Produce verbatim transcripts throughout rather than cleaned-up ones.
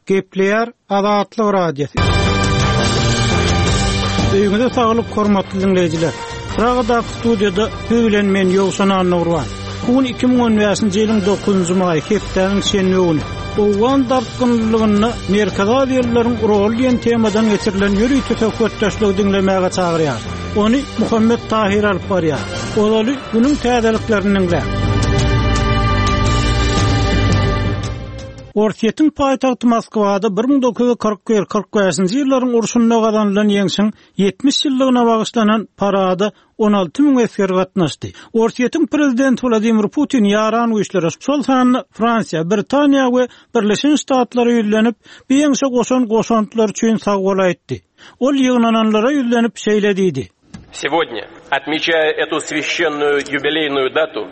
Gepleýär Azatlyk Radiosy. Öýüňize saglyk, hormatly diňleýjiler. Pragadaky studiýada siz bilen men Ýowşan Annagurban. Bu gün iki müň on bäşinji ýylyň dokuzynjy maýy, hepdäniň şenbe güni. Owgan dartgynlylygynda Merkezi Aziýalylaryň roly diýen temadan geçirilen ýörite söhbetdeşligi diňlemäge çagyrýar. Ony Muhammet Tahir alyp barýar. Ozaly günüň täzeliklerini diňläň. Orsýetiň paýtagty Moskwada bir müň dokuz ýüz kyrk bir kyrk bäşinji ýyllaryň urşunda gazanylan ýeňşiň ýetmiş ýyllygyna bagyşlanan parada on alty müň esger gatnaşdy. Orsýetiň prezidenti Wladimir Putin ýaran güýçlere, şol sanda Fransiýa, Britaniýa we Birleşen Ştatlara ýüzlenip, bu ýeňşe goşan goşantlar üçin sag bol aýtdy. Ol ýygnananlara ýüzlenip şeýle diýdi. Сегодня, отмечая эту священную юбилейную дату,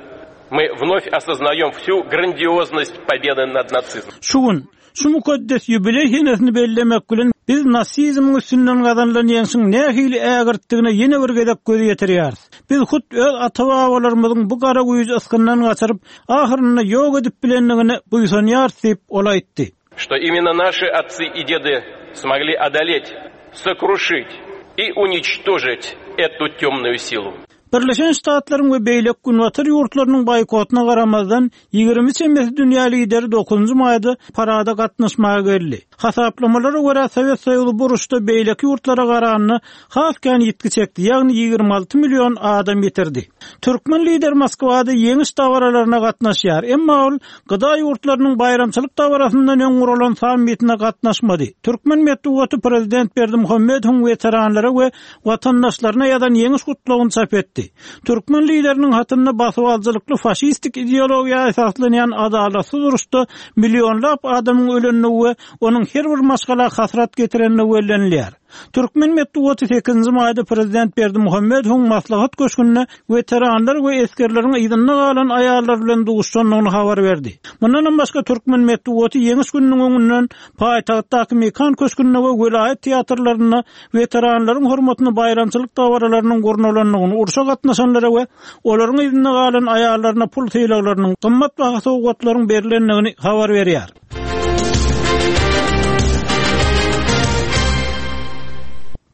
мы вновь осознаем всю грандиозность победы над нацизмом. Şu gün, şu mukaddes ýubileý senesini bellemek bilen biz nasizmiň üstünden gazanylan ýeňşiň nähili ägirtdigine ýene bir gezek göz ýetirýäris. Biz hut öz ata-babalarymyzyň bu gara güýji ysgyndan gaçyryp, ahyrynda ýok edip bilendigine buýsanýarys diýip ol aýtdy. Что именно наши отцы и деды смогли одолеть, сокрушить и уничтожить эту темную силу. Birleşen Ştatlaryň we beýleki günbatar ýurtlarynyň boýkotyna garamazdan ýigrimi çemesi dünýä lideri dokuzynjy maýda parada gatnaşmaga geldi. Hasaplamalara görä Sowet Soýuzy bu uruşda beýleki ýurtlara garanda has kän ýitgi çekdi, ýagny ýigrimi alty million adam ýitirdi. Türkmen lider Moskwada ýeňiş dabaralaryna gatnaşýar, emma ol gıda ýurtlarynyň baýramçylyk dabarasyndan öň guralan sammitine gatnaşmady. Türkmen metbugaty prezident Berdimuhamedowyň weteranlara we watandaşlaryna ýazan ýeňiş gutlagyny çap etdi. Türkmen lideriniň hatynda basybaljylykly faşistik ideologiýa esaslanýan adalatsyz uruşda millionlap adamyň ölenligi we onuň her bir maşgala hasrat getirenligi bellenilýär. Türkmen metbugaty sekizinji maýda prezident Berdimuhamedowyň maslahat köşgünde weteranlar we esgerleriň yzynda galan aýallar bilen duşandygyny habar berdi. Mundan başga Türkmen metbugaty ýeňiş gününiň öňünden paýtagtdaky Mekan köşgünde we welaýat teatrlarynda weteranlaryň hormatyna baýramçylyk dabaralarynyň gurnalandygyny, urşa gatnaşanlara we olaryň yzynda galan aýallaryna pul sylaglarynyň, gymmat baha sowgatlaryň berilendigini habar berýär.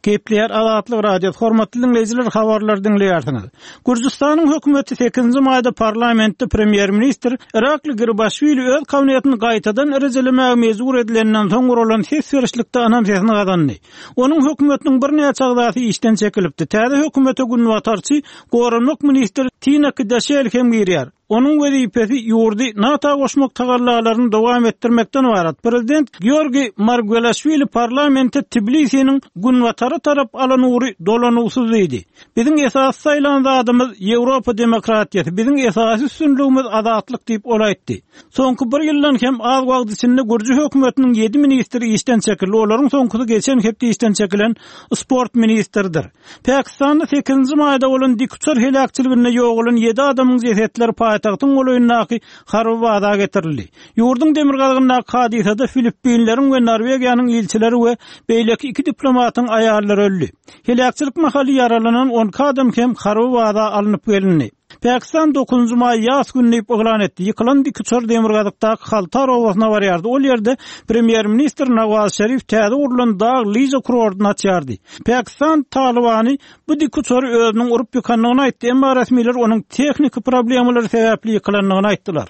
Gepleýär Azatlyk Radiosy. Hormatly diňleýjiler, habarlar diňleýärsiňiz. Gürjüstanyň hökümeti sekizinji maýda parlamentde premýer-ministr Irakli Garibashvili öz kabinetini gaýtadan rejelemäge mejbur edilenden soň guralan ses berişlikde anam sesini gazandy. Onuň hökümetiniň birnäçe agzasy işden çekilipdi. Täze hökümete günbatarçy goranmak ministri Tina Kdaşel hem girýär. Onuň wezipesi ýurdy NATO goşmak tagallalaryny dowam etdirmekden ibarat. Prezident Georgi Margwelaşwili parlamente Tbilisiniň günbatara tarap alan ugry dolanugsyz diýdi. Biziň esasy saýlan zadymyz Ýewropa demokratiýasy, biziň esasy üstünligimiz azatlyk diýip ol aýtdy. Soňky bir ýyldan hem az wagt içinde Gürji hökümetiniň ýedi ministri işden çekildi. Olaryň soňkusy geçen hepde işden çekilen sport ministridir. Pakistanda sekizinji maýda bolan dikuçar heläkçiliginde ýogalan ýedi adamyň jesetleri paýtagtyň golaýyndaky harby baza getirildi. Ýurduň demirgazygyndaky hadysada Filippinleriň we Norwegiýanyň ilçileri we beýleki iki diplomatyň aýallary öldi. Heläkçilik mahaly ýaralanan on iki adam hem harby baza alnyp gelindi. Pakistan dokuzynjy maý ýas günü diýip yglan etdi. Ýykylan dikuçar demirgazykdaky Haltar obasyna barýardy. Ol ýerde premýer-ministr Nawaz Şerif täze gurlan dag lyža kurortyny açýardy. Pakistan Talibany bu dikuçary özüniň urup ýykandygyny aýtdy, emma resmiler onuň tehniki problemalary sebäpli ýykylandygyny aýtdylar.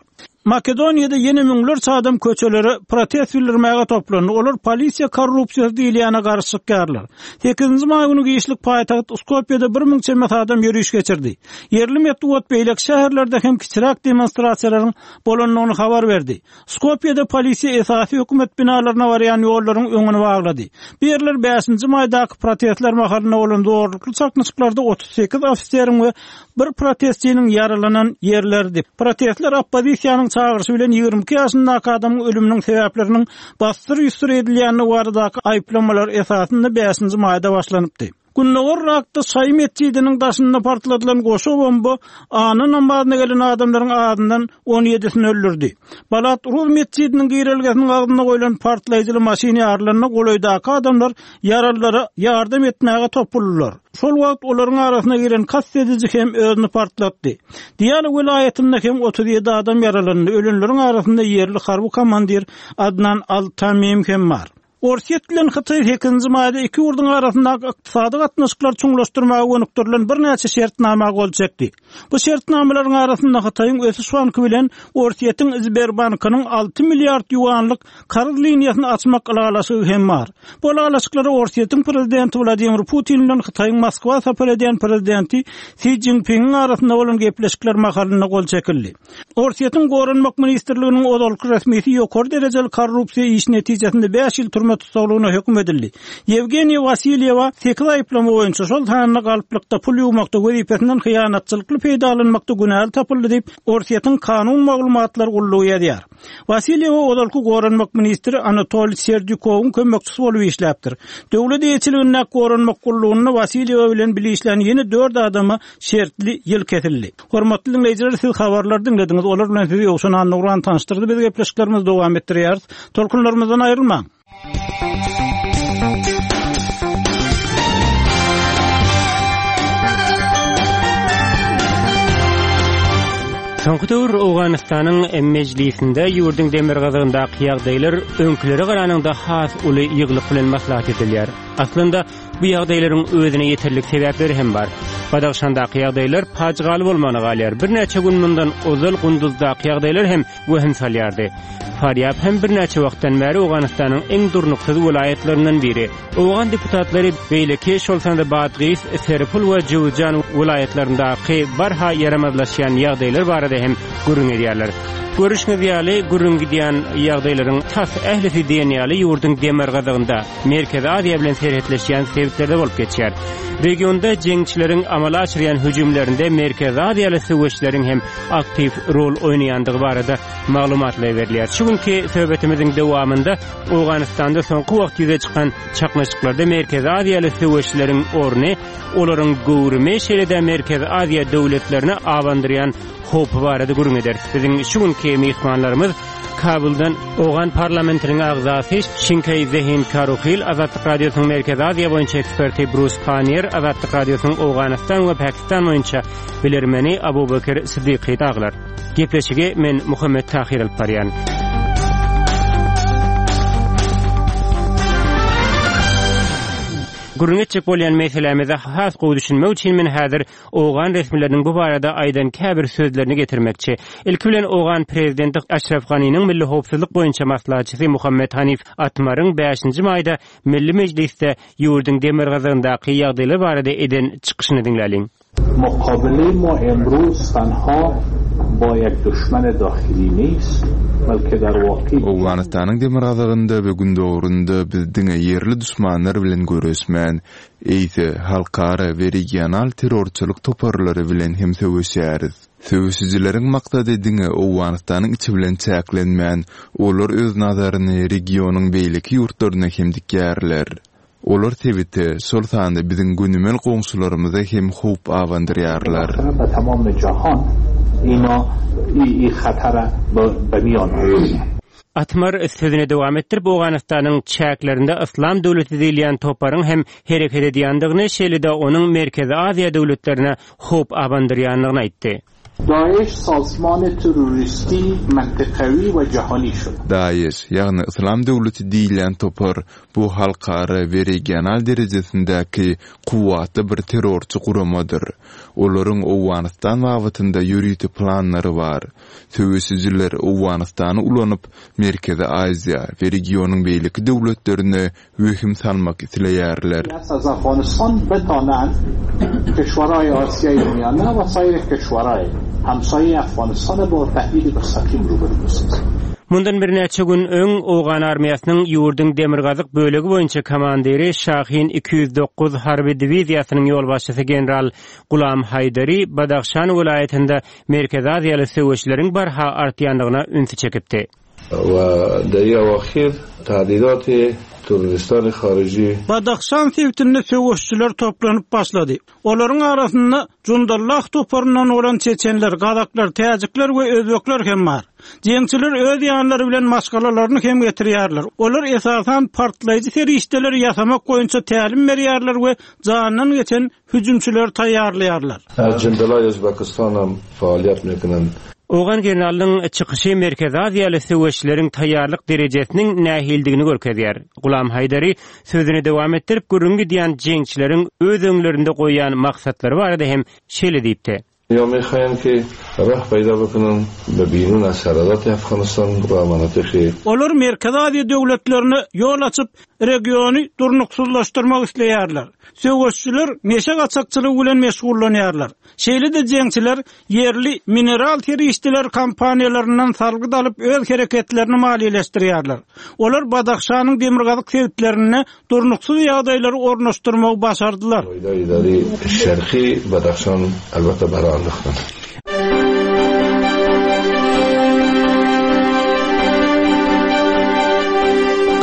Makedoniýada ýene müňlerçe adam köçelere protest bildirmäge toplandy. Olar polisiýa korrupsiýasy diýilýäne garşy çykýarlar. Sekizinji maý günü giçlik paýtagt Skopýada bir müň çemesi adam ýöriş geçirdi. Ýerli metbugat beýleki şäherlerde hem kiçiräk demonstrasiýalaryň bolandygyny habar berdi. Skopýada polisiýa esasy hökümet binalaryna barýan ýollaryň öňüni baglady. Bu ýerler bäşinji maýdaky protestler mahalynda bolan zorlukly çaknyşyklarda otuz sekiz ofiseriň we bir protestçiniň ýaralanan ýerlerdi. Protestler oppozisiýanyň çagyryşy bilen ýigrimi iki ýaşyndaky adamyň ölüminiň sebäpleriniň bassyr ýüsür edilýändigi baradaky aýyplamalar esasynda bäşinji maýda başlanypdy. Gündogar Yrakda Şaýy metjidiniň daşynda partladylan goşa bomba anna namazyna gelen adamlaryň azyndan on ýedisini öldürdi. Balat Ruz metjidiniň girelgesiniň agzynda goýlan partlaýjyly maşyn ýarylanda golaýdaky adamlar ýaralylara ýardam etmäge topuldylar. Şol wagt olaryň arasyna giren kast ediji hem özüni partlatdy. Diýala welaýatynda hem otuz ýedi adam ýaralandy. Ölenleriň arasynda ýerli harby komandir Adnan Al-Tamim hem bar. Orsýet bilen Hytaý sekizinji maýda iki ýurduň arasyndaky ykdysady gatnaşyklary çuňlaşdyrmaga gönükdirilen birnäçe şertnama gol çekdi. Bu şertnamalaryň arasynda Hytaýyň ösüş banky bilen Orsýetiň Sberbankynyň alty milliard ýuanlyk karz liniýasyny açmak ylalaşygy hem bar. Bu ylalaşyklara Orsýetiň prezidenti Wladimir Putin bilen Hytaýyň Moskwa sapar edýän prezidenti Si Jinpingiň arasynda bolan gepleşikler mahalynda gol çekildi. Orsýetiň Goranmak ministrliginiň ozalky resmisi ýokary derejeli korrupsiýa iş netijesinde bäş ýyl türme tussaglygyna höküm edildi. Ýewgeniý Wasilýewa sekiz aýyplama boýunça şol sanda galplykda pul ýuwmakda wezipesinden hyýanatçylykly peýdalanmakda günäli tapyldy diýip Orsýetiň kanun maglumatlar gullugy ýazýar. Wasilýewa ozalky Goranmak ministri Anatoliy Serdyukowyň kömekçisi bolup işläpdir. Döwlet eýeçiligindäki Goranmak gullugynda Wasilýewa bilen bile işlän ýene dört adama şertli ýyl kesildi. Hormatly dinleýjiler, siz habarlar diňlediňiz. Olar bilen sizi Ýowşan Annugran tanyşdyrdy. Biz gepleşiklerimizi dowam etdirýäris. Tolkunlarymyzdan aýrylmaň. Soňky döwür Owganystanyň mejlisinde ýurduň demirgazygyndaky ýagdaýlar öňkülere garanyňda has uly ýyglyk bilen maslahat edilýär. Aslynda bu ýagdaýlaryň özüne ýeterlik sebäpleri hem bar. Badagşandaky ýagdaýlar pajygaly bolmagyna galýar. Birnäçe gün mundan ozal Gunduzdaky ýagdaýlar hem wehim salýardy. Farýab hem birnäçe wagtdan bäri Owganystanyň iň durnuksyz welaýatlaryndan biri. Owgan deputatlary beýleki şol sanda Badgis, Serpul we Jowzjan welaýatlaryndaky barha ýaramazlaşýan ýagdaýlar barada hem gürrüň edýärler. Görüşüňiz ýaly gürrüň gidýän ýagdaýlaryň tas ählisi diýen ýaly ýurduň demirgazygynda Merkezi Aziýa bilen serhetleşýän sebitlerde bolup geçýär. Regionda jeňçileriň amala aşyrýan hüjümlerinde Merkezi Aziýaly söweşleriň hem aktiw rol oýnaýandygy barada maglumatlar berilýär. Şu günki söhbetimiziň dowamynda Owganystanda soňky wagt ýüze çykan çaknyşyklarda Merkezi Aziýaly söweşleriň orny, olaryň göwrümi, şeýle-de Merkezi Aziýa döwletlerine abandyrýan howpy barada gürrüň ederis. Biziň şu günki myhmanlarymyz Kabuldan Owgan parlamentiniň agzasy Şinkeý Zehin Karuhil, Azatlyk Radiosynyň Merkezi Aziýa boýunça eksperti Brus Pannier, Azatlyk Radiosynyň Owganystan we Pakistan boýunça bilermeni Abubakir Siddiqi daglar. Gepleşigi men Muhammet Tahir alyp barýan. Gürrüň etjek bolýan meselämize has gowy düşünmek üçin men häzir Owgan resmileriniň bu barada aýdan käbir sözlerini getirmekçi. Ilki bilen Owgan prezidenti Aşraf Ganiniň Milli Howpsuzlyk boýunça maslahatçysy Muhammet Hanif Atmaryň bäşinji maýda Milli Mejlisde ýurduň demirgazygyndaky ýagdaýlar barada eden çykyşyny diňläliň. Mukabele ma emruz tanha با یک düşman dahili نیست بلکه در واقع Owganystanyň demirgazygynda we gündogrunda biz diňe ýerli düşmanlar bilen görüşmän, eýse halkara we regional terrorçylyk toparlary bilen hem söweşýäris. Söweşijileriň maksady diňe Owganystanyň içi bilen çäklenmän, olar öz nazaryny regionyň beýleki ýurtlaryna hem dikýärler. Olar sebite, şol sanda biziň gönümel goňşularymyza hem howp abandyrýarlar. Be tamam jahan ina i khatara be miyan آوردن. Atmar sözüne dowam etdirip, Owganystanyň çäklerinde Islam döwleti diýilýän toparyň hem hereket edýändigini, şeýle-de onuň Merkezi Aziýa döwletlerine howp abandyrýandygyny aýtdy. Daesh sazman terroristi mintaqawi we jahani şud. Daesh, ýagny Islam döwleti diýilýän topar bu halkara we regional derejesindäki kuwwatly bir terrorçy guramadyr. Olaryň Owganystan babatynda ýörite planlary bar. Söweşijiler Owganystany ulanyp, Merkezi Aziýa we regionyň beýleki döwletlerine wehim salmak isleýärler. Az Afganistan betanan keşwaraý Asiýa Miýana we saýry keşwaraý hamsaýy Afganistan bo tehdid mustaqim rubaru besazan. Mundan birnäçe gün öň Owgan armiýasynyň ýurduň demirgazyk bölegi boýunça komandiri Şahin iki ýüz dokuz harby diwiziýasynyň ýolbaşçysy general Gulam Haýdari Badagşan welaýatynda Merkezi Aziýaly söweşleriň barha artýandygyna ünsi çekipdi. و در این اواخر تهدیدات terroristان خارجی Badahşan sebitinde söweşçiler toplanyp başlady. Olaryň arasynda Jundallah toparyndan bolan çeçenler, gazaklar, täjikler we özbekler hem bar. Jeňçiler öz ýanlary bilen maşgalalaryny hem getirýärler. Olar esasan partlaýjy serişdeleri ýasamak boýunça tälim berýärler we jandan geçen hüjümçileri taýýarlaýarlar. از جندالای ازبکستان هم فعالیت میکنند. Owgan generalynyň çykyşy Merkezi Aziýaly söweşleriň taýýarlyk derejesiniň nähildigini görkezýär. Gulam Haýdari sözüni dowam etdirip gürrüň gidýän jeňçileriň öz öňlerinde goýýan maksatlary barada hem şeýle diýipdi. یا میخواین که راه پیدا بکنن به بیرون از سرحدات افغانستان و مناطق Olar Merkezi Aziýa döwletlerine ýol açyp regiony durnuksyzlaşdyrmak isleýärler. Söweşçiler neşe gaçakçylygy bilen meşgullanýarlar. Şeýle-de jeňçiler ýerli mineral serişdeler kompaniýalaryndan salgyt alyp öz hereketlerini maliýeleşdirýärler. Olar Badahşanyň demirgazyk sebitlerine durnuksyz ýagdaýlary ornaşdyrmagy başardylar. اداری شرقی بدخشان البته برای انداختن.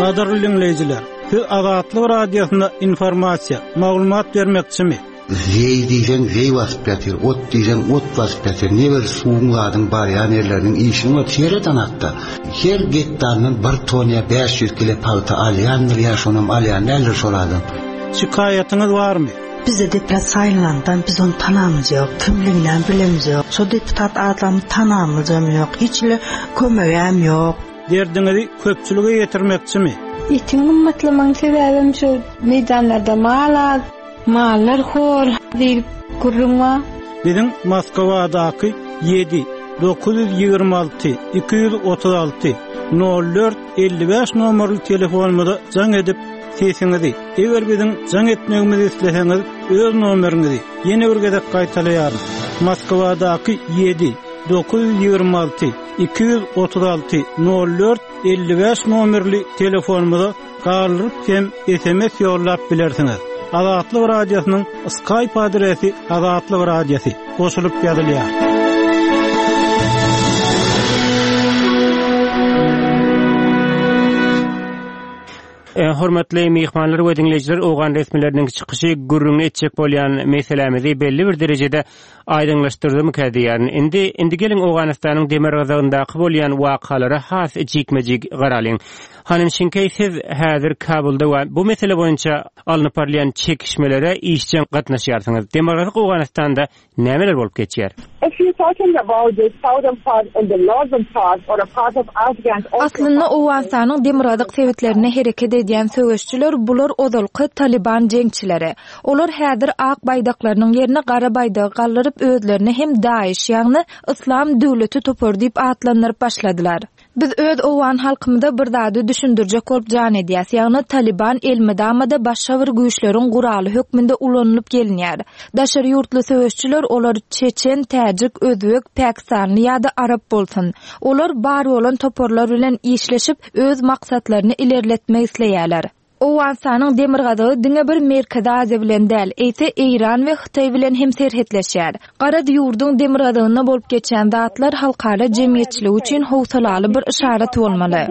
Gadyrly diňleýjiler, siz Azatlyk radiosynda informasiýa, maglumat bermekçimi? Zeý diýseň zeý basyp ýatyr, ot diýseň ot basyp ýatyr. Ne bir suwuň zadyň barýan ýerleriniň işini ot sereden hatda. Her gektardan bir ton ýa bäş ýüz kilo palta alýandyr ýa şonam alýan däldir şol adam. Şikaýatyňyz barmy? Bize deputat saylandan biz onu tanamız yok, kimliğinden bilemiz yok. Şo deputat adamı tanamız yok, hiç ile kömegem yok. Derdiňizi köpçülige ýetirmekçimi? Etiň gymmatlamanyň sebäbim şu meýdanlarda mal az, mallar hor diýip gürrüň bar. Biziň Moskwadaky ýedi dokuz ýüz ýigrimi alty iki ýüz otuz alty nol dört elli bäş nomerli telefonumyza jaň edip sesiňizi, eger biziň jaň etmegimizi isleseňiz, öz nomeriňizi ýene bir gezek gaýtalaýaryn. Moskwadaky ýedi dokuz ýüz ýigrimi alty iki ýüz otuz alty nol dört elli bäş nomerli telefonumyza galdyryp hem S M S ýollap bilersiňiz. Azatlyk Radiosynyň Skype adresi Azatlyk Radiosy goşulyp ýazylýar. E, hormatly myhmanlar we diňleýjiler, Owgan resmileriniň çykyşy gürrüňini etjek bolýan meselemizi belli bir derejede aýdyňlaşdyrdymyka diýýärin. Indi, indi geliň Owganystanyň demirgazygyndaky bolýan wakalara has jikme-jik garalyň. Hanym Şinkey, siz häzir Kabulda we bu mesele boýunça alnyp barylýan çekişmelere işjeň gatnaşýarsyňyz. Demirgazyk Owganystanda nämeler bolup geçýär? If you're talking about the southern part and the northern part or a part of Afghan also Aslynda Owganystanyň demirgazyk sebitlerine hereket edýän söweşçiler bular ozalky Taliban jeňçileri. Olar häzir ak baýdaklarynyň ýerine gara baýdagy galdyryp özlerini hem Daesh, ýagny Islam döwleti topary diýip atlandyryp başladylar. Biz öz Owgan halkymyza bir zady düşündirjek bolup jan edýäs, ýagny Taliban elmydamada başga bir güýçleriň guraly hökmünde ulanylyp gelinýär. Daşary ýurtly söweşçiler olar Çeçen, Täjik, Özbek, Pakistanly ýa-da Arap bolsun. Olar bar bolan toparlar bilen işleşip öz maksatlaryny ilerletmek isleýärler. Owganystanyň demirgazygy diňe bir Merkezi Aziýa bilen däl, eýse Eýran we Hytaý bilen hem serhetleşýär. Gara ýurduň demirgazygynda bolup geçen zatlar halkara jemgyýetçiligi üçin howsalaly bir yşarat bolmaly.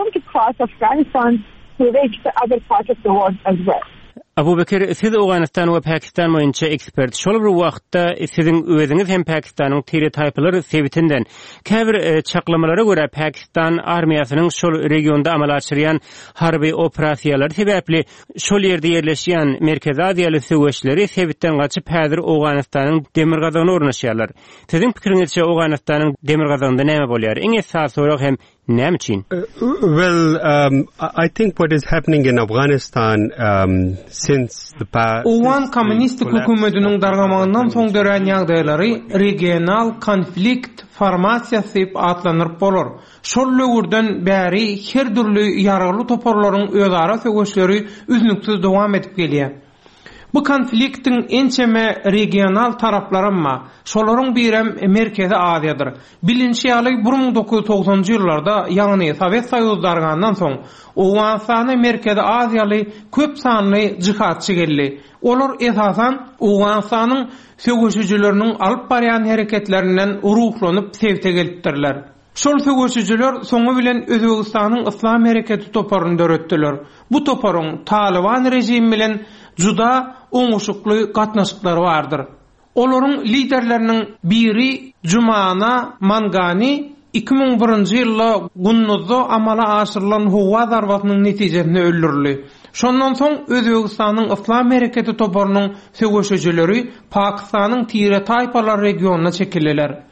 Abu Bekir, siz Owganystan we Pakistan boýunça ekspert. Şol bir wagtda siziň özüňiz hem Pakistanyň tire taýpalary sebitinden käbir, e, çaklamalara görä Pakistan armiýasynyň şol regionda amala aşyrýan harby operasiýalary sebäpli şol ýerde ýerleşýän Merkezi Aziýaly söweşleri sebitden gaçyp häzir Owganystanyň demirgazygyna ornaşýarlar. Siziň pikiriňizçe Owganystanyň demirgazygynda näme bolýar? Iň esasy sorag hem näme üçin? Uh, well, um, I think what is happening in Afghanistan, um, since the past Owgan kommunistik hökümetiniň dargamagyndan soň dörän ýagdaýlary regional konflikt formasiýasy diýip atlandyryp bolar. Şol löwürden bäri her dürli ýaragly toparlaryň özara söweşleri üznüksiz dowam edip gelýär. Bu konfliktiň ençeme regional taraplaryma, şolaryň birem Merkezi Aziýadyr. Bilinçi ýaly bir müň dokuz ýüz togsanjy ýyllarda, ýagny Sowet Soýuzy dargandan soň Owganystana Merkezi Aziýaly köp sanly jihatçy geldi. Olar esasan Owganystanyň söweşijileriniň alyp barýan hereketlerinden ruhlanyp sebite gelipdirler. Şol söweşijiler soňy bilen Özbegistanyň Yslam hereketi toparyny döretdiler. Bu toparyň Talyban režimi bilen juda oňuşykly gatnaşyklary bardyr. Olaryň liderleriniň biri Jumana Mangani iki müň birinji ýylda Gunduzda amala aşyrylan howa zarbasynyň netijesinde öldürildi. Şondan soň Özbegistanyň Yslam hereketi toparynyň söweşijileri Pakistanyň tire-taýpalar regionyna çekildiler.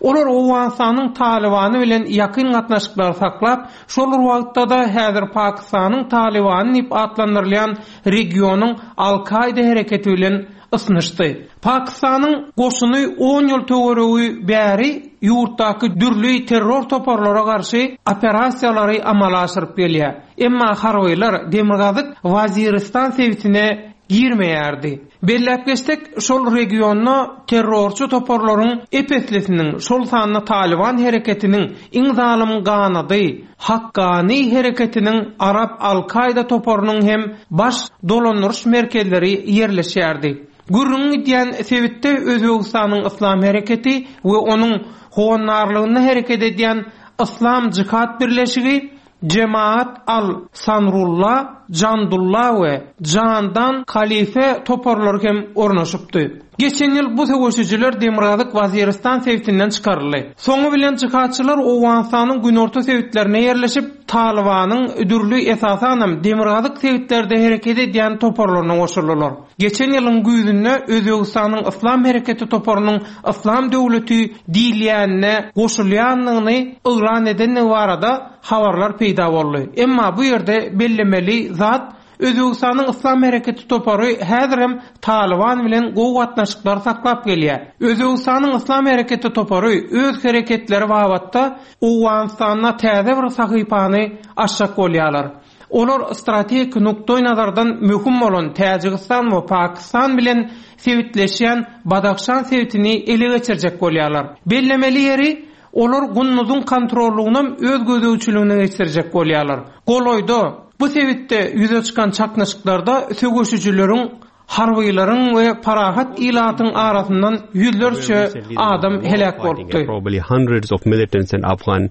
Olar Owganystanyň Talybany bilen ýakyn gatnaşyklary saklap, şol bir wagtda-da häzir Pakistanyň Talybany diýip atlandyrylýan regionyň Al-Kaýda hereketi bilen ysnyşdy. Pakistanyň goşuny on ýyl töweregi bäri ýurtdaky dürli terror toparlara garşy operasiýalary amala aşyryp gelýär. Emma harbylar Demirgazyk Waziristan sebitine girmeýärdi. Belläp geçsek, şol regionda terrorçy toparlaryň ep-eslisiniň, şol sanda Talyban hereketiniň iň zalym ganady Hakkani hereketiniň Arap Al-Kaýda toparynyň hem baş dolandyryş merkezleri ýerleşýärdi. Gürrüňi gidýän sebitde Özbegistanyň Yslam hereketi we onuň howandarlygynda hereket edýän Yslam Jihad birleşigi, Jemaat al-Sanrulla, Jandulla we Jandan Khalife toparlary hem ornaşypdy. Geçen ýyl bu söweşijiler Demirgazyk Waziristan sebitinden çykaryldy. Soňy bilen jihadçylar Owganystanyň günorta sebitlerine ýerleşip, Talybanyň dürli, esasanam demirgazyk sebitlerde hereket edýän toparlaryna goşuldylar. Geçen ýylyň güýzünde Özbegistanyň Yslam hereketi toparynyň Yslam döwleti diýilýänine goşulýandygyny yglan edendigi barada habarlar peýda boldy. Emma bu ýerde bellemeli zat, Özbegistanyň Yslam hereketi topary häzirem Talyban bilen gowy gatnaşyklary saklap gelýär. Özbegistanyň Yslam hereketi topary öz hereketleri babatda Owganystanda täze bir sahypany açjak bolýarlar. Olar strategik nukdaýnazardan möhüm bolan Täjigistan we Pakistan bilen sebitleşýän Badahşan sebitini ele geçirjek bolýarlar. Bellemeli ýeri, olar Gunduzyň kontrollugynam öz gözegçiligine geçirjek bolýarlar. Golaýda bu sebitde ýüze çykan çaknyşyklarda söweşijileriň, harbylaryň we parahat ilatyň arasyndan ýüzlerçe adam heläk bolupdy. Probably hundreds of militants and Afghan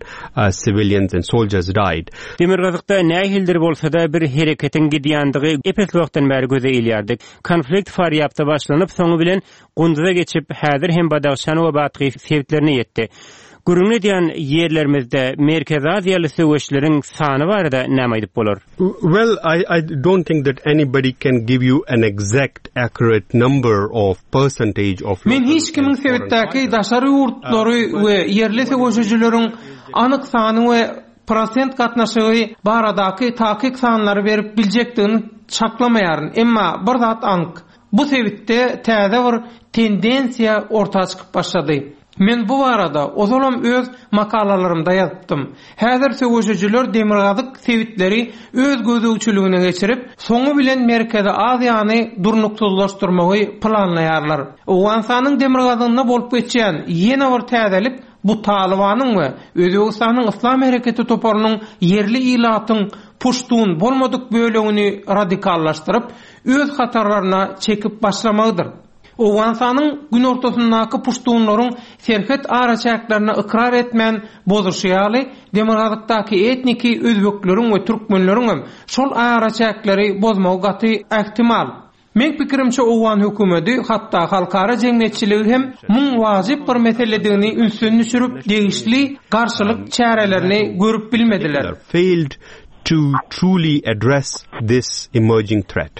civilians and soldiers died. Demirgazykda nähilidir bolsa-da bir hereketiň gidýändigi ep-esli wagtdan bäri göze ilýärdi. Konflikt Farýabda başlanyp, soňy bilen Gunduza geçip, häzir hem Badahşan we Bathyz sebitlerine ýetdi. Gürrüň edýän ýerlerimizde Merkezi Aziýaly söweşleriň sany barada näme aýdyp bolar? Well, I, I don't think that anybody can give you an exact accurate number of percentage of Men hiç kimiň sebitdäki daşary ýurtlary we ýerli söweşijileriň anyk sany we prosent gatnaşygy baradaky takyk sanlary berip biljekdigini çaklamaýaryn. Emma bir zat anyk. Bu sebitde täze bir tendensiýa orta çykyp başlady. Men bu barada ozalam öz makalalarymda ýazypdym. Häzir söweşijiler demirgazyk sebitleri öz gözegçiligine geçirip, soňy bilen Merkezi Aziýany durnuksyzlaşdyrmagy planlaýarlar. Owganystanyň demirgazygynda bolup geçýän ýene bir täzelik bu Talybanyň we Özbegistanyň Yslam hereketi toparynyň ýerli ilatyň puştun bolmadyk bölegini radikallaşdyryp, öz hatarlaryna çekip başlamagydyr. Owganystanyň günortasyndaky puştunlaryň serhet araçäklerini ykrar etmän bozuşy ýaly, demirgazykdaky etniki özbekleriň we türkmenleriň hem şol araçäkleri bozmagy gaty ähtimal. Meň pikirimçe owgan hökümeti, hatda halkara jemgyýetçiligi hem muň wajyp bir meseledigini ünsden düşürip, degişli garşylyk çärelerini görüp bilmediler. Failed to truly address this emerging threat.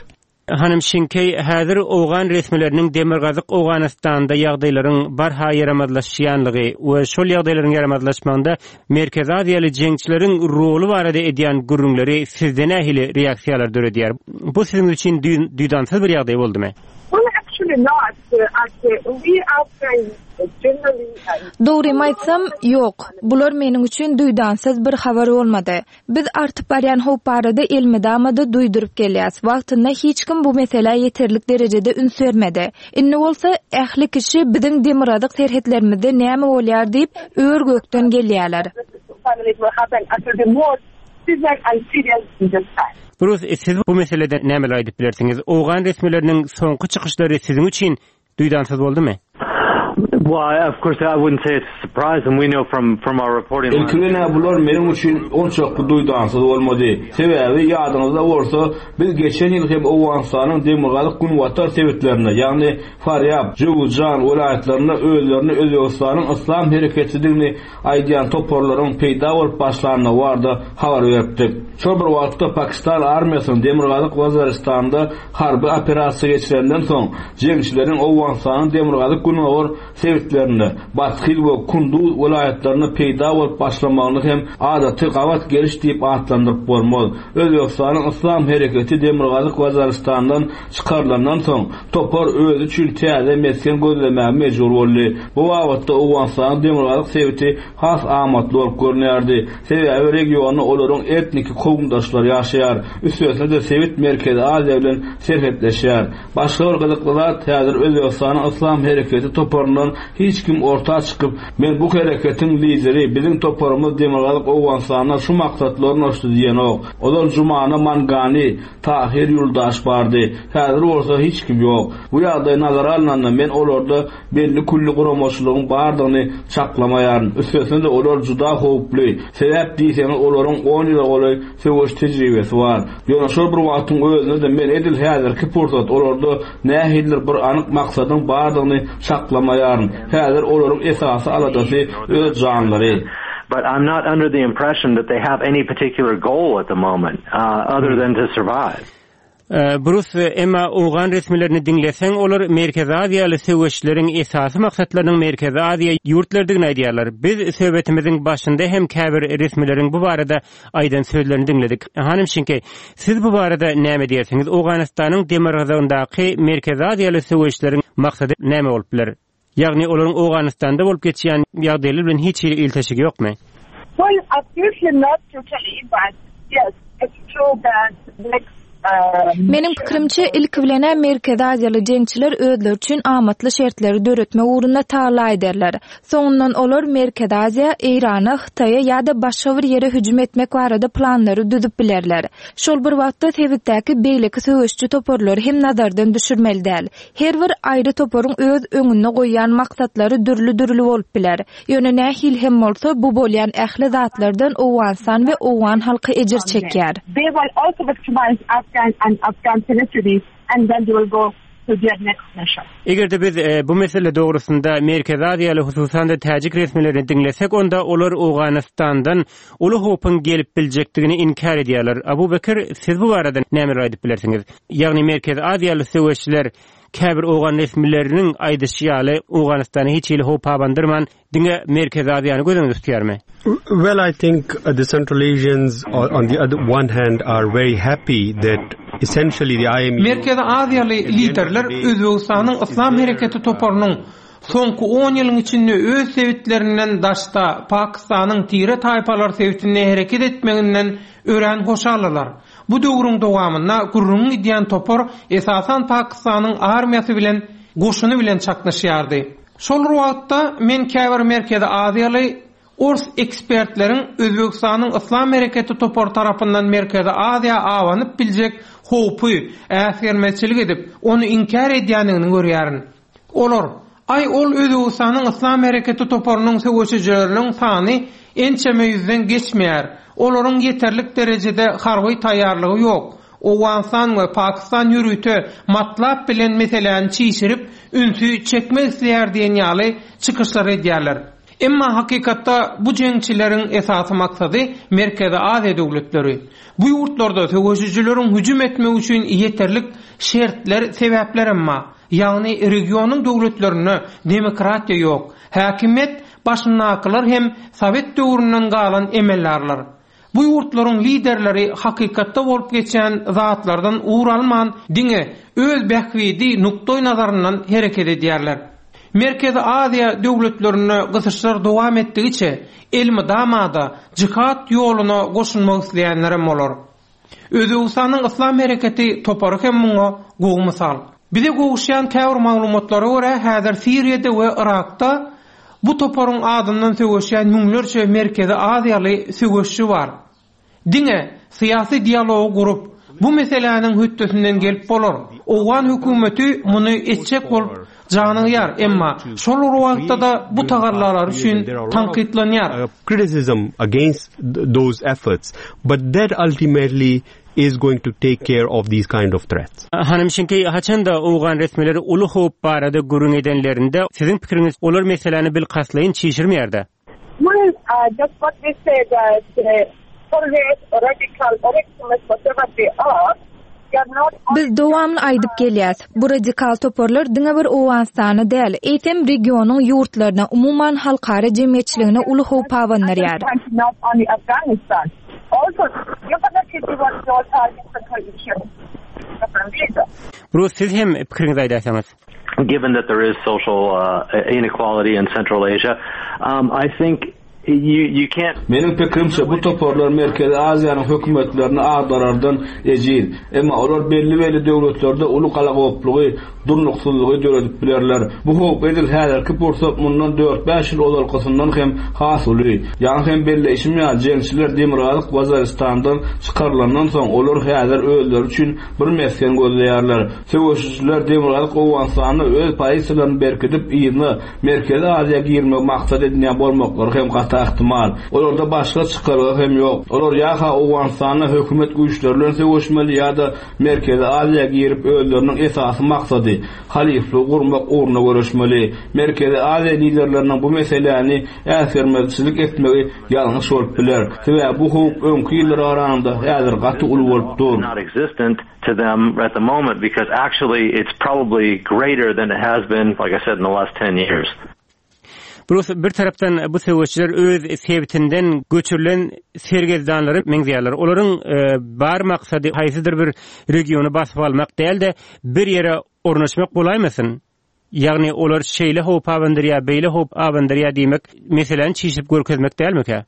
Hanym Şinkeý, häzir owgan resmileriniň Demirgazyk Owganystanda ýagdaýlaryň barha ýaramazlaşýanlygy we şol ýagdaýlaryň ýaramazlaşmagynda Merkezi Aziýaly jeňçileriň roly barada edýän gürrüňleri sizde nähili reaksiýalar döredýär? Bu siziň üçin duýdansyz bir ýagdaý boldumy? Well, actually not. We Afghans generally Dogrymy aýtsam, ýok. Bular meniň üçin duýdansyz bir habar bolmady. Biz artyp barýan howp barada elmydama-da duýduryp gelýäs. Wagtynda hiç kim bu meselä ýeterlik derejede üns bermedi. Indi bolsa ähli kişi biziň demirgazyk serhetlerimizde näme bolýar diýip ör-gökden gelýärler. Brus, siz bu meselede nämeler aýdyp bilersiňiz? Owgan resmileriniň soňky çykyşlary siziň üçin duýdansyz boldumy? Well, of course, I wouldn't say it's a surprise, and we know from from our reporting. Ilki bilen bular meniň üçin onçakly duýdansyz bolmady. Sebäbi ýadyňyzda bolsa, biz geçen ýyl hem Owganystanyň demirgazyk günbatar sebitlerinde, ýagny Farýab, Jöwüzjan welaýatlarynda özlerini Özbegistanyň Yslam hereketidigini aýdýan toparlaryň peýda bolup başlandygy barada habar beripdik. Şol bir wagtda Pakistan armiýasynyň demirgazyk Waziristanda harby operasiýa geçirenden soň, jeňçileriň Owganystanyň demirgazyk günbatar sebitlerinde Bathyz we Kunduz welaýatlarynda peýda bolup başlamagyny hem adaty gabat geliş diýip atlandyryp bolmaz. Özbegistanyň Yslam hereketi demirgazyk Waziristandan çykarylandan soň topar özi üçin täze mesgen gözlemäge mejbur boldy. Bu babatda Owganystanyň demirgazyk sebiti has amatly bolup görünýärdi. Sebäbi regionda olaryň etniki kowumdaşlary ýaşaýar. Üstesine-de sebit Merkezi Aziýa bilen serhetleşýär. Başga bir gyzykly zat, häzir Özbegistanyň Yslam hereketi toparyndan hiç kim orta çykyp, men bu hereketiň lideri, biziň toparymyz demirgazyk Owganystanda şu maksatly ornaşdy diýenok. Ozal Jumana Mangani, Tahir Ýuldaş bardy. Häzir bolsa hiç kim ýok. Bu ýagdaý nazara alnanda men olarda belli külli guramaçylygyň bardygyny çaklamaýaryn. Üstesine-de olar juda howply. Sebäp diýseňiz olaryň on ýyla golaý söweş tejribesi bar. Ýöne şol bir wagtyň özünde-de men edil häzirki pursat olarda nähilidir bir anyk maksadyň bardygyny çaklamaýaryn. Häzir olaryň esasy aladasy öz janlary. But I'm not under the impression that they have any particular goal at the moment, uh, other than to survive. Brus, emma Owgan resmilerini diňleseň, olar Merkezi Aziýaly söweşleriň esasy maksatlarynyň Merkezi Aziýa ýurtlarydygyny aýdýarlar. Biz söhbetimiziň başynda hem käbir resmileriň bu barada aýdan sözlerini diňledik. Hanym Şinke, siz bu barada näme diýersiňiz? Owganystanyň demirgazygyndaky Merkezi Aziýaly söweşleriň maksady näme bolup biler? Ýagny olaryň Owganystanda bolup geçýän ýagdaýlar bilen hiç hili ilteşigi ýokmy? Well, absolutely not totally, but yes, it's true that next Meniň pikirimçe ilki bilen Merkezi Aziýaly jeňçiler özleri üçin amatly şertleri döretmek ugrunda tagalla ederler. Soňundan olar Merkezi Aziýa, Eýrana, Hytaýa ýa-da başga bir ýere hüjüm etmek barada planlary düzüp bilerler. Şol bir wagtda sebitdäki beýleki söweşçi toparlary hem nazardan düşürmeli däl. Her bir aýry toparyň öz öňünde goýýan maksatlary dürli-dürli bolup biler. Ýöne nähili hem bolsa bu bolýan ähli zatlardan Owganystan we Owgan halky ejir çekýär. They will also victimize Afghan and Afghan territories, and then they will go to their next mission. Eger-de biz e, bu mesele dogrusynda Merkezi Aziýaly hususan-da täjik resmilerini diňlesek, onda olar Owganystandan uly howpuň gelip biljekdigini inkär edýärler. Abu Bekir, siz bu barada nämeler aýdyp bilersiňiz? Ýagny Merkezi Aziýaly söweşçiler käbir Owgan resmileriniň aýdyşy ýaly Owganystana hiç hili howp abandyrman, diňe Merkezi Aziýany göz öňünde tutýarmy? Well, I think uh, the Central Asians on the other one hand are very happy that essentially the I M U Merkezi Aziýaly liderler Özbegistanyň Yslam hereketi toparynyň soňky on ýylyň içinde öz sebitlerinden daşda Pakistanyň tire taýpalar sebitinde hereket etmeginden örän hoşaldylar. Bu döwrüň dowamynda gürrüň gidýän topar esasan Pakistanyň armiýasy bilen goşuny bilen çaknyşýardy. Şol wagtda men käbir Merkezi Aziýaly Ors ekspertleriň Özbegistanyň Yslam hereketi topary tarapyndan Merkezi Aziýa awanyp biljek howpy äsgermezçilik edip, ony inkär edýändigini görýärin. Olar, aý ol Özbegistanyň Yslam hereketi toparynyň söweşijileriniň sany ençeme ýüzden geçmeýär. Olaryň ýeterlik derejede harby taýýarlygy ýok. Owganystan we Pakistan ýörite matlap bilen meseläni çişirip, ünsi çekmek isleýär diýen ýaly çykyşlar edýärler. Emma hakykatda bu jeňçileriň esasy maksady Merkezi Aziýa döwletleri. Bu ýurtlarda söweşijileriň hüjüm etmek üçin ýeterlik şertler, sebäpler emma, ýagny regionyň döwletlerinde demokratiýa ýok. Häkimiýet başyndakylar hem Sowet döwründen galan emeldarlar. Bu ýurtlaryň liderleri hakykatda bolup geçen zatlardan ugur alman, diňe öz bähbidi nukdaý nazaryndan hereket edýärler. Merkezi Aziýa döwletlerinde gysyşlar dowam etdigiçe elmydamada jihat ýoluna goşulmak isleýänlerem bolar. Özbegistanyň Yslam hereketi topary hem muňa gowy mysal. Bize gowuşýan käbir maglumatlara görä häzir Siriýada we Irakda bu toparyň adyndan söweşýän müňlerçe Merkezi Aziýaly söweşçi bar. Diňe syýasy dialogy gurup, bu meseläniň hötdesinden gelip bolar. Owgan hökümeti muny etjek bolup janygýar, emma şol bir wagtda-da bu tagallalary üçin tankytlanýar. Criticism against those efforts, but that ultimately is going to take care of these kind of threats. Hanym Şinkeý, haçanda owgan resmileri uly howp barada gürrüň edenlerinde, siziň pikiriňiz olar meseläni bilkastlaýyn çişirmeýär-dä? Well, uh, just what we said that uh, terrorists or radical or extremists, whatever they are, they are not Biz dowamly aýdyp gelýäs. Bu radikal toparlar diňe bir Owganystana däl, eýsem regionyň ýurtlaryna, umuman halkara jemgyýetçiligine uly howp abandyrýar. not only Afghanistan. Also, definitely was your target issue. Brus, siz hem pikiriňizi aýdarsyňyz. Given that there is social uh, inequality in Central Asia, um, I think you you can't Meniň pikirimçe bu toparlar Merkezi Aziýanyň hökümetlerini agdarardan ejiz. Emma olar belli-belli döwletlerde uly galagoplugy, durnuksyzlygy döredip bilerler. Bu howp edil häzirki pursat mundan dört-bäş ýyl ozalkysyndan hem has uly. Ýaňy hem belleýşim ýaly, jeňçiler Demirgazyk Waziristandan çykarylandan soň olar häzir özleri üçin bir mesgen gözleýärler. Söweşijiler Demirgazyk Owganystanda öz pozisiýalaryny berkidip, yzyna Merkezi Aziýa girmegi maksat edinýän bolmaklary hem gaty ähtimal. Olarda başga çykalga hem ýok. Olar ýa-ha Owganystanda hökümet güýçleri bilen söweşmeli ýa-da Merkezi Aziýa girip özleriniň esasy maksady halyflygy gurmak ugrunda göreşmeli. Merkezi Aziýa liderleriniň bu meseläni äsgermezçilik etmegi ýalňyş bolup biler. Sebäbi bu howp öňki ýyllara garanda häzir gaty uly bolup dur. not existent to them at the moment because actually it's probably greater than it has been, like I said, in the last ten years. Brus, bir tarapdan bu söweşçiler öz sebitinden göçürilen sergezdanlary meňzeýärler. Olaryň e, bar maksady haýsydyr bir regiony basyp almak däl-de, bir ýere ornaşmak bolaýmasyn? Ýagny olar şeýle howp abandyrýar, beýle howp abandyrýar diýmek, meseleni çişip görkezmek dälmikä?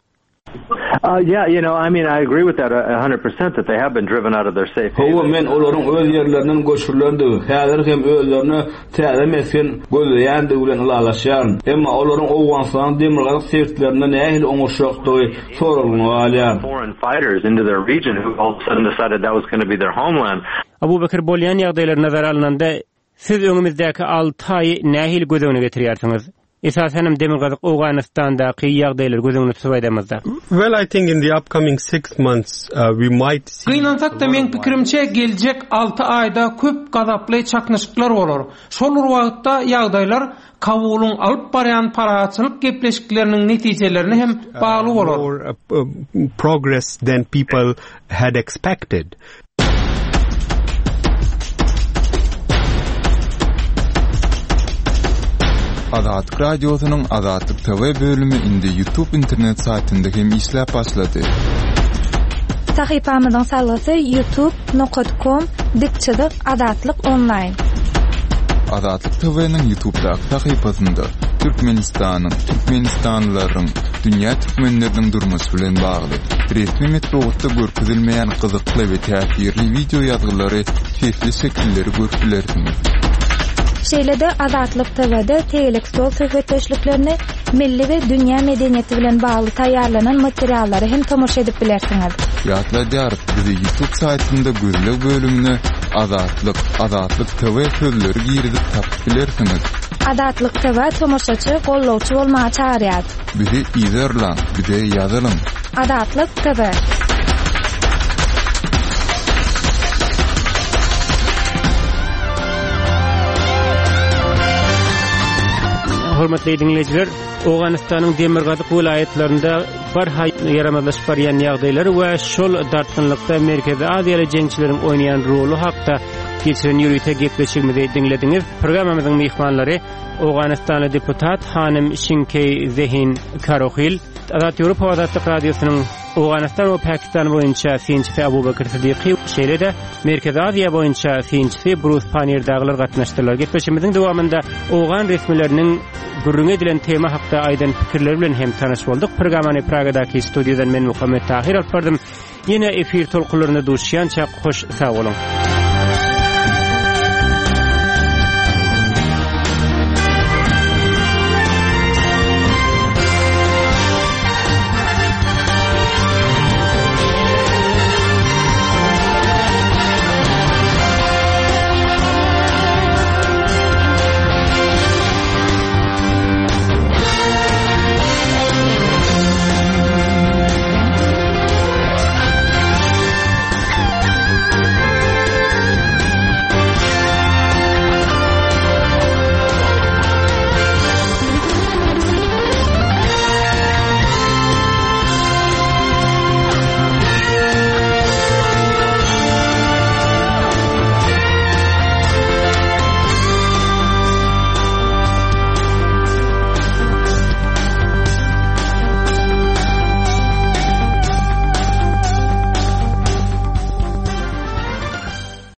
Uh, yeah, you know, I mean, I agree with that a hundred percent that they have been driven out of their safe Hawa, haven. men olaryň öz ýerlerinden göçürilendigi, häzir hem özlerine täze mesgen gözleýändigi bilen ylalaşýaryn. Emma olaryň Owganystanyň demirgazyk sebitlerinde nähili oňuşjakdygy soraglygyna galýar. Foreign fighters into their region who all of a sudden decided that was going to be their homeland. Abu Bekir bolýan ýagdaýlar nazara alnanda siz öňümizdäki alty aýy nähili göz öňüne getirýärsiňiz? Esasen hem Demirgazyk Owganystandaky ýagdaýlary göz öňüne tutup aýdamyzda. Well, I think in the upcoming six months uh, we might see Gynansak-da meň pikirimçe geljek alty aýda köp gazaply çaknyşyklar bolar. Şol bir wagtda ýagdaýlar Kabulyň alyp barýan parahatçylyk gepleşikleriniň netijelerine hem bagly bolar. more uh, uh, progress than people had expected. Azatlyk Radiosynyň Azatlyk T V bölümi indi YouTube internet saýtynda hem işläp başlady. Sahypamyzyň salgysy youtube nokta com dik çyzyk Azatlyk online. Azatlyk T V'niň YouTube'daky sahypasynda Türkmenistanyň, Türkmenistanlylaryň, dünýä türkmenleriniň durmuşy bilen bagly resmi metbugatda görkezilmeýän gyzykly we täsirli wideo ýazgylary, sesli şekilleri görüp bilersiňiz. Şeýle-de Azatlyk T V'de tegelek stol söhbetdeşliklerini, milli we dünýä medeniýeti bilen bagly taýýarlanan materiallary hem tomaşa edip bilersiňiz. Ýatladýarys, bizi YouTube saýtynda gözleg bölümine Azatlyk, Azatlyk T V sözleri girizip tapyp bilersiňiz. Azatlyk T V tomaşaçy, gollawçy bolmaga çagyrýar. Bizi izerläň, bize ýazylyň. Azatlyk T V. Hormatly dinleýjiler, Owganystanyň demirgazyk welaýatlarynda barha ýaramazlaşyp barýan ýagdaýlar we şol dartgynlykda Merkezi Aziýaly jeňçileriň oýnaýan roly hakda geçiren ýörite gepleşigimizi diňlediňiz. Programmamyzyň myhmanlary Owganystanly deputat Hanym Şinkey Zehin Karohil, Azat Ýewropa Azatlyk Radiosynyň Owganystan we Pakistan boýunça synçysy Abu Bekir Sidiqi, şeýle-de Merkezi Aziýa boýunça synçysy Brus Pannier dagylar gatnaşdylar. Gepleşigimiziň dowamynda owgan resmileriniň gürrüň edilen tema hakda aýdan pikirleri bilen hem tanyş bolduk. Programmany Pragadaky studiýadan men Muhammet Tahir alyp bardym. Ýene efir tolkunlarynda duşýança hoş sag boluň.